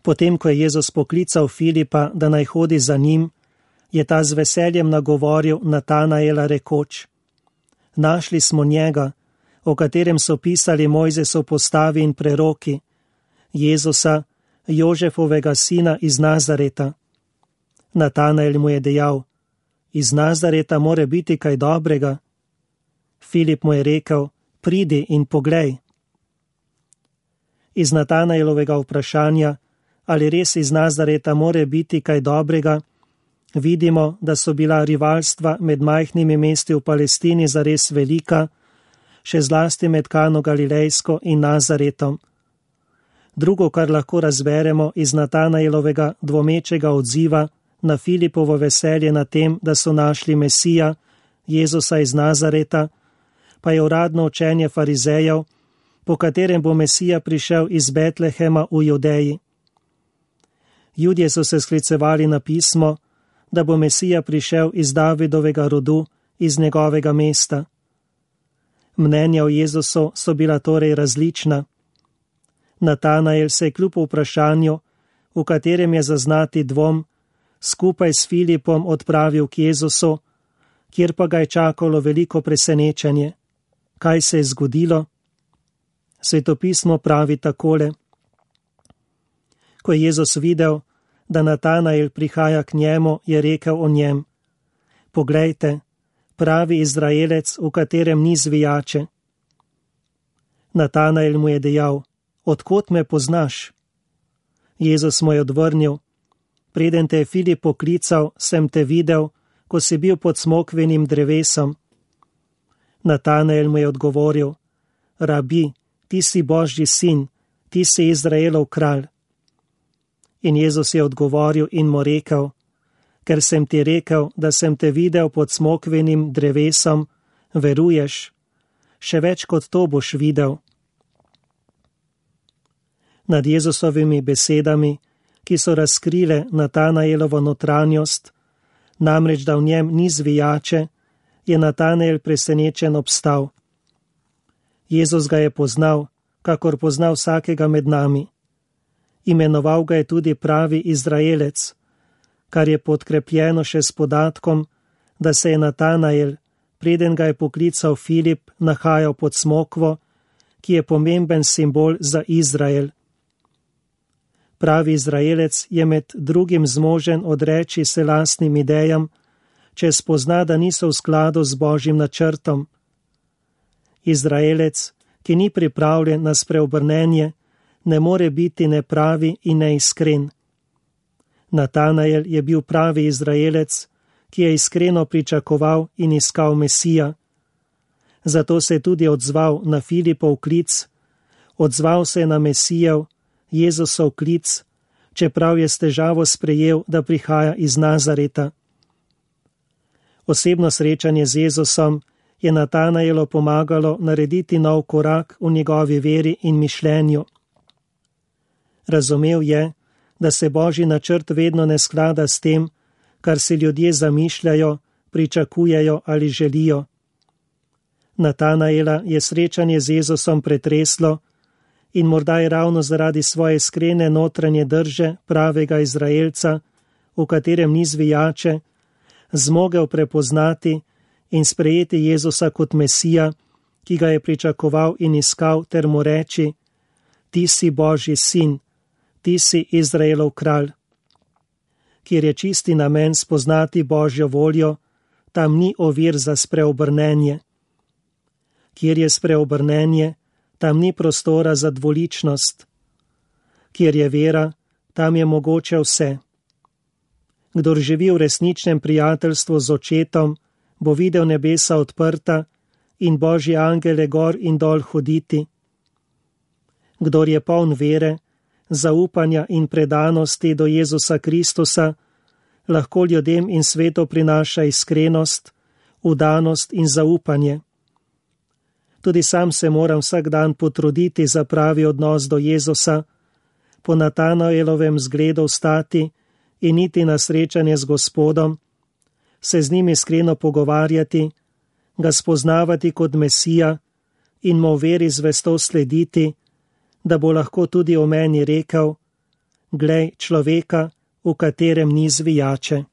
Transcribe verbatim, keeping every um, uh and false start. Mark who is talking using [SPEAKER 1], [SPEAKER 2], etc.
[SPEAKER 1] Potem, ko je Jezus poklical Filipa, da naj hodi za njim, je ta z veseljem nagovoril Natanaela rekoč: Našli smo njega, o katerem so pisali Mojzesov postavi in preroki, Jezusa, Jožefovega sina iz Nazareta. Natanael mu je dejal: Iz Nazareta more biti kaj dobrega. Filip mu je rekel: Pridi in poglej. Iz Natanaelovega vprašanja, ali res iz Nazareta more biti kaj dobrega, vidimo, da so bila rivalstva med majhnimi mesti v Palestini zares velika, še zlasti med Kano Galilejsko in Nazaretom. Drugo, kar lahko razberemo iz Natanaelovega dvomečega odziva na Filipovo veselje na tem, da so našli Mesija, Jezusa iz Nazareta, pa je uradno učenje farizejev, po katerem bo Mesija prišel iz Betlehema v Judeji. Judje so se sklicevali na pismo, da bo Mesija prišel iz Davidovega rodu, iz njegovega mesta. Mnenja o Jezusu so bila torej različna. Natanael se je kljub vprašanju, v katerem je zaznati dvom, skupaj s Filipom odpravil k Jezusu, kjer pa ga je čakalo veliko presenečenje. Kaj se je zgodilo? Svetopismo pravi takole: Ko je Jezus videl, da Natanael prihaja k njemu, je rekel o njem: Poglejte, pravi Izraelec, v katerem ni zvijače. Natanael mu je dejal: Od kod me poznaš? Jezus mu je odvrnil: Preden te je Filip poklical, sem te videl, ko si bil pod smokvinim drevesom. Natanael mu je odgovoril: Rabi, ti si Božji sin, ti si Izraelov kralj. In Jezus je odgovoril in mu rekel: Ker sem ti rekel, da sem te videl pod smokvinim drevesom, veruješ? Še več kot to boš videl. Nad Jezusovimi besedami, ki so razkrile Natanaelovo notranjost, namreč da v njem ni zvijače, je Natanael presenečen obstal. Jezus ga je poznal, kakor pozna vsakega med nami. Imenoval ga je tudi pravi Izraelec, kar je podkrepljeno še s podatkom, da se je Natanael, preden ga je poklical Filip, nahajal pod smokvo, ki je pomemben simbol za Izrael. Pravi Izraelec je med drugim zmožen odreči se lastnim idejam, če spozna, da niso v skladu z Božjim načrtom. Izraelec, ki ni pripravljen na spreobrnenje, ne more biti nepravi in neiskren. Natanael je bil pravi Izraelec, ki je iskreno pričakoval in iskal Mesija. Zato se je tudi odzval na Filipov klic, odzval se je na Mesijev, Jezusov klic, čeprav je s težavo sprejel, da prihaja iz Nazareta. Osebno srečanje z Jezusom je Natanaelu pomagalo narediti nov korak v njegovi veri in mišljenju. Razumel je, da se Božji načrt vedno ne sklada s tem, kar si ljudje zamišljajo, pričakujejo ali želijo. Natanaela je srečanje z Jezusom pretreslo in morda je ravno zaradi svoje iskrene notranje drže pravega Izraelca, v katerem ni zvijače, zmogel prepoznati in sprejeti Jezusa kot Mesija, ki ga je pričakoval in iskal, ter mu reči: Ti si Božji sin, ti si Izraelov kralj. Kjer je čisti namen spoznati Božjo voljo, tam ni ovir za spreobrnenje. Kjer je spreobrnenje, tam ni prostora za dvoličnost. Kjer je vera, tam je mogoče vse. Kdor živi v resničnem prijateljstvu z očetom, bo videl nebesa odprta in Božje angele gor in dol hoditi. Kdor je poln vere, zaupanja in predanosti do Jezusa Kristusa, lahko ljudem in svetu prinaša iskrenost, vdanost in zaupanje. Tudi sam se moram vsak dan potruditi za pravi odnos do Jezusa, po Natanaelovem zgledu stati in iti na srečanje z Gospodom, se z njim iskreno pogovarjati, ga spoznavati kot Mesija in mu v veri zvesto slediti, da bo lahko tudi o meni rekel: glej človeka, v katerem ni zvijače.